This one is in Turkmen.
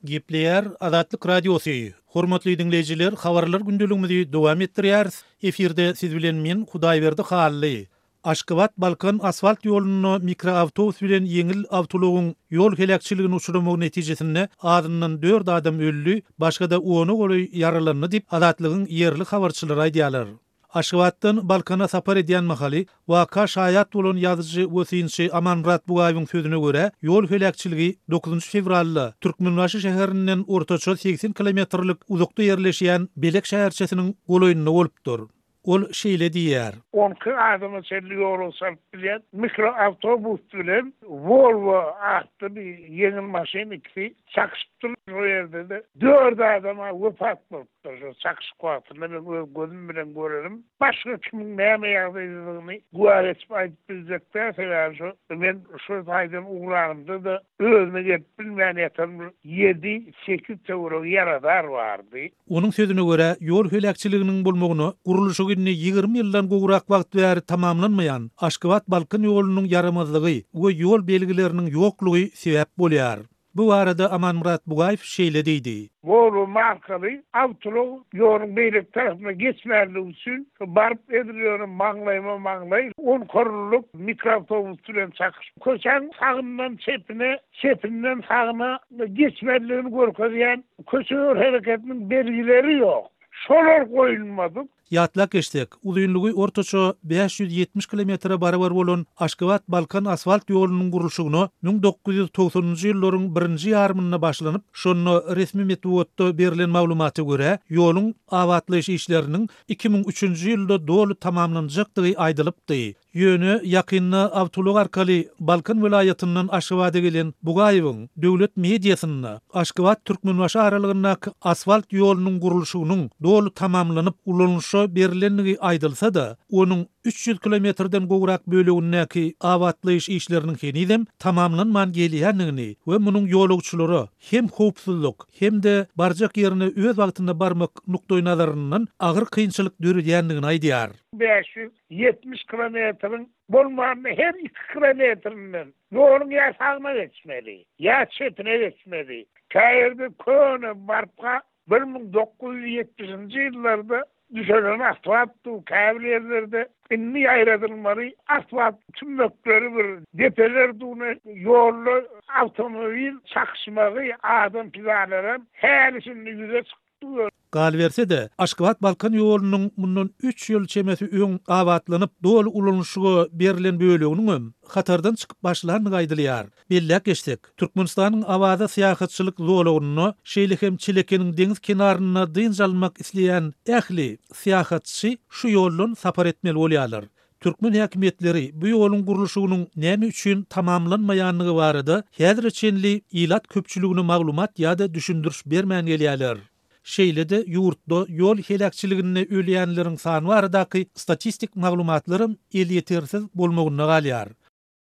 Gepleýär Azatlyk Radiosy, Hormatly diňleýjiler, habarlar gündeligimizi dowam etdirýäris. Efirde siz bilen men Hudaýberdi Hally. Aşgabat-Balkan asfalt ýolunda mikroawtobus bilen ýeňil awtoulagyň ýol heläkçiligine uçramagy netijesinde azyndan dört adam öldi, başga-da ona golaý ýaralandy diýip, Azatlygyň ýerli habarçylary aýdýarlar. Aşgabatdan Balkana sapar edýän mahaly waka şaýat bolan ýazyjy we synçy Amanmyrat Bugaýewiň sözüne görä, ýol heläkçiligi dokuzynjy fewralda Türkmenbaşy şäherinden ortaça 80 kilometrlik uzakda ýerleşýän Belek şäherçesiniň golaýynda bolupdyr. Ol şeýle diýýär. 12 adama çenli ýolagçy alyp bilýän mikroawtobus bilen Volvo atly bir ýeňil maşyn ikisi çakyşypdyr. Şol ýerde-de dört adam-a wepat bolupdyr. Şol çakyşyk wagtynda men öz gözüm bilen görenim. Başga kimiň näme ýagdaýdadygyny güwä geçip aýdyp biljek däl, sebäbi şo men şo taýdan ugranymda-da özüne gelip bilmän ýatan bir ýedi, sekiz töweregi ýaradar bardy. Onuň sözüne görä, ýol heläkçiliginiň bolmagyna gurluşygy indi 20 ýyldan gowrak wagt bäri tamamlanmaýan Aşgabat-Balkan ýolunyň ýaramazlygy we ýol belgileriniň ýoklugy sebäp bolýar. Bu barada Amanmyrat Bugaýew şeýle diýdi. Volvo markaly awtoulag ýoluň beýleki tarapyna geçmänligi üçin baryp edil ýöne maňlaýma-maňlaý on korunlyk mikroawtobus bilen çakyşyp, köçäň sagyndan çepine, çepinden sagyna geçmelidigini görkezýän Köçe ýol hereketiniň belgileri ýok. Şolar goýulmadyk. Ýatlap geçsek, uzynlygy ortaça 570 kilometre barabar bolan Aşgabat-Balkan asfalt ýolunyň gurluşygyna 1990-njy ýyllaryň birinji ýarymynda başlanyp, şonda resmi metbugatda berlen maglumata görä, ýoluň abatlaýyş işleriniň 2003-nji ýylda doly tamamlanjakdygy aýdylypdy. Ýöne ýakynda awtoulag arkaly Balkan welaýatyndan Aşgabada gelen Bugaýewiň döwlet mediasynda Aşgabat-Türkmenbaşy aralygyndaky asfalt ýolunyň gurluşygynyň doly tamamlanyp ulanylyşa berlendigi aýdylsa-da, onuň 300 kilometrden gowrak bölegindäki abatlaýyş işleriniň henizem tamamlanman gelýändigini we munuň ýolagçylara hem howpsuzlyk, hem-de barjak ýerine öz wagtynda barmak nukdaýnazaryndan agyr kynçylyk döredýändigini aýdýar. 500 70 kilometriň bolmanda her iki kilometrinden ýoluň ýa sagyna geçmeli, ýa çepine geçmeli. Käýerde köne barka 1970-nji ýyllarda düşelen asfalt dur, käbir ýerlerde indi ýaýradylmaly asfalt tümmekleri bir depeler dur, ýolda awtomobil çakyşmagy, adam pidalaram häli-şindi ýüze çykyp Galyberse-de, Aşgabat-Balkan ýolunyň mundan üç ýyl çemesi öň abatlanyp, doly ulanyşyga berlen böleginiňem hatardan çykyp başlandygy aýdylýar. Belläp geçsek, Türkmenistanyň Awaza syýahatçylyk zolagynda, şeýle hem Çelekeniň deňiz kenarynda dynç almak isleýän ähli syýahatçy şu ýoldan sapar etmeli bolýarlar. Türkmen häkimiýetleri bu ýoluň gurluşygynyň näme üçin tamamlanmaýandygy barada häzire çenli ilat köpçüligine maglumat ýa-da düşündiriş bermän gelýärler. Şeýle-de ýurtda ýol heläkçiliginde ölýänleriň sany baradaky statistik maglumatlaram elýetersiz bolmagynda galýar.